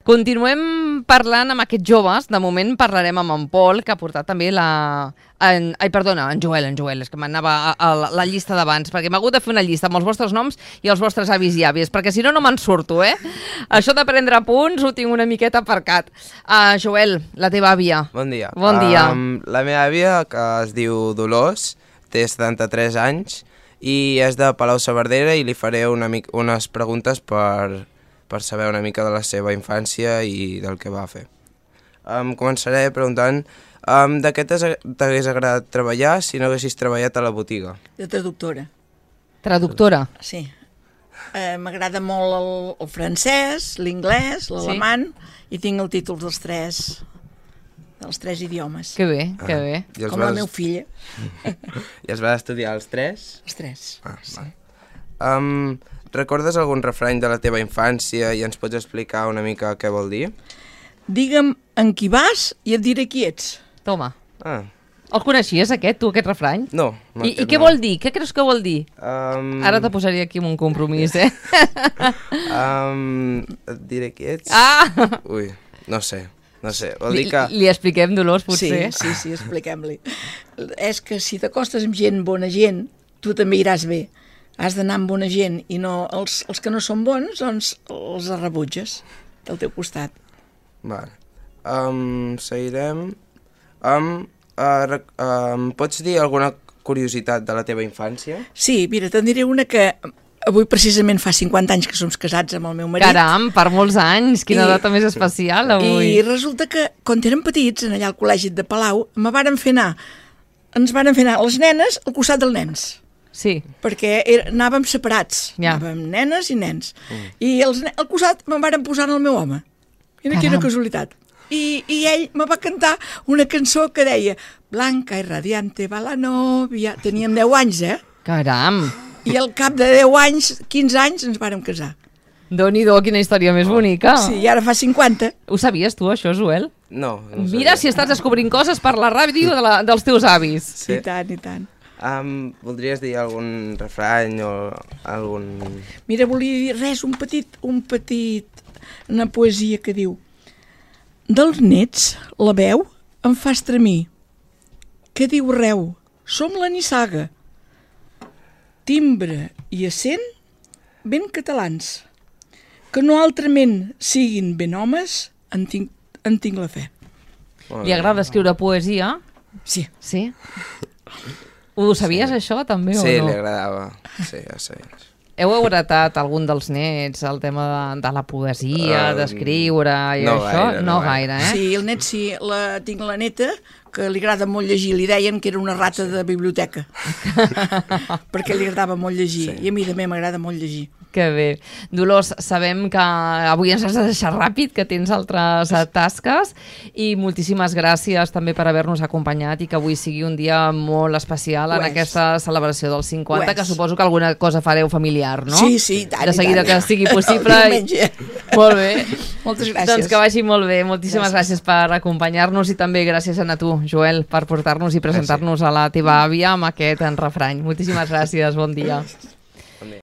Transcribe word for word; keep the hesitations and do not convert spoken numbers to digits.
Continuem parlant amb aquests joves. De moment parlarem amb en Pol, que ha portat també la... En... Ai, perdona, en Joel, en Joel, és que m'anava a, a la, la llista d'abans, perquè m'ha hagut de fer una llista amb els vostres noms i els vostres avis i àvies, perquè si no, no me'n surto, eh? Això de prendre punts ho tinc una miqueta aparcat. Uh, Joel, la teva àvia. Bon dia. Bon dia. Um, la meva àvia, que es diu Dolors, té setanta-tres anys i és de Palau-saverdera i li faré una mica, unes preguntes per... per saber una mica de la seva infància i del que va fer. Um, començaré preguntant um, de què t'hagués agradat treballar si no haguessis treballat a la botiga? De traductora. Traductora? Sí. Eh, M'agrada molt el, el francès, l'inglès, l'alemany, sí? I tinc el títol dels tres, dels tres idiomes. Que bé, que ah. bé. Com vas... la meva filla. I els vas estudiar els tres? Els tres, ah, sí. Um, recordes algun refrany de la teva infància i ens pots explicar una mica què vol dir? Digue'm en qui vas i et diré qui ets. Toma. Ah. El coneixies, aquest, tu, aquest refrany? No. no I, i què no. vol dir? Què creus que vol dir? Um... Ara te posaria aquí amb un compromís, eh? um, et diré qui ets? Ah! Ui, no sé. No sé, vol li, dir que... Li expliquem, Dolors, potser? Sí, sí, sí, expliquem-li. És que si t'acostes amb gent, bona gent, tu també iràs bé. Has d'anar amb bona gent i no els, els que no són bons, doncs els rebutges del teu costat. Vale. Um, seguirem. Um, uh, um, pots dir alguna curiositat de la teva infància? Sí, mira, te'n diré una que avui precisament fa cinquanta anys que som casats amb el meu marit. Caram, per molts anys, quina I, data més especial avui. I resulta que quan érem petits, allà al col·legi de Palau, me varen fer anar, ens varen fer anar les nenes al costat dels nens. Sí. Perquè era, anàvem separats, ja. Anàvem nenes i nens. Mm. I els, al costat me'n varen posar el meu home. Mira quina casualitat. I, I ell me va cantar una cançó que deia Blanca i radiante va la novia. Teníem deu anys, eh? Caram! I al cap de deu anys, quinze anys, ens vàrem casar. Déu-n'hi-do, quina història més bonica. Sí, i ara fa cinquanta. Ho sabies tu, això, Joel? No. no Mira si estàs descobrint coses per la ràdio de la, dels teus avis. Sí. I tant, i tant. Um, voldries dir algun refrany o algun... Mira, volia dir res, un petit, un petit, una poesia que diu dels nets la veu em fa estremir, que diu reu, som la nissaga, timbre i accent ben catalans, que no altrament siguin ben homes, en tinc, en tinc la fe. Li agrada escriure poesia? Sí. Sí? Ho sabies, sí. Això, també, sí, o no? Sí, li agradava. Sí, ja sé. Heu heretat algun dels nets el tema de, de la poesia, uh, d'escriure i no això? Gaire, no, no gaire, eh? Sí, el net sí. La, tinc la neta, que li agrada molt llegir. Li deien que era una rata de biblioteca. Perquè li agradava molt llegir. Sí. I a mi també m'agrada molt llegir. Que bé. Dolors, sabem que avui ens has de deixar ràpid, que tens altres tasques, i moltíssimes gràcies també per haver-nos acompanyat i que avui sigui un dia molt especial en aquesta celebració dels cinquanta, que suposo que alguna cosa fareu familiar, no? Sí, sí, tant, de seguida tant. Que sigui possible. Diumenge. Molt bé. Moltes gràcies. Doncs que vagi molt bé. Moltíssimes gràcies, gràcies per acompanyar-nos i també gràcies a tu, Joel, per portar-nos i presentar-nos a la teva àvia amb aquest refrany. Moltíssimes gràcies, bon dia.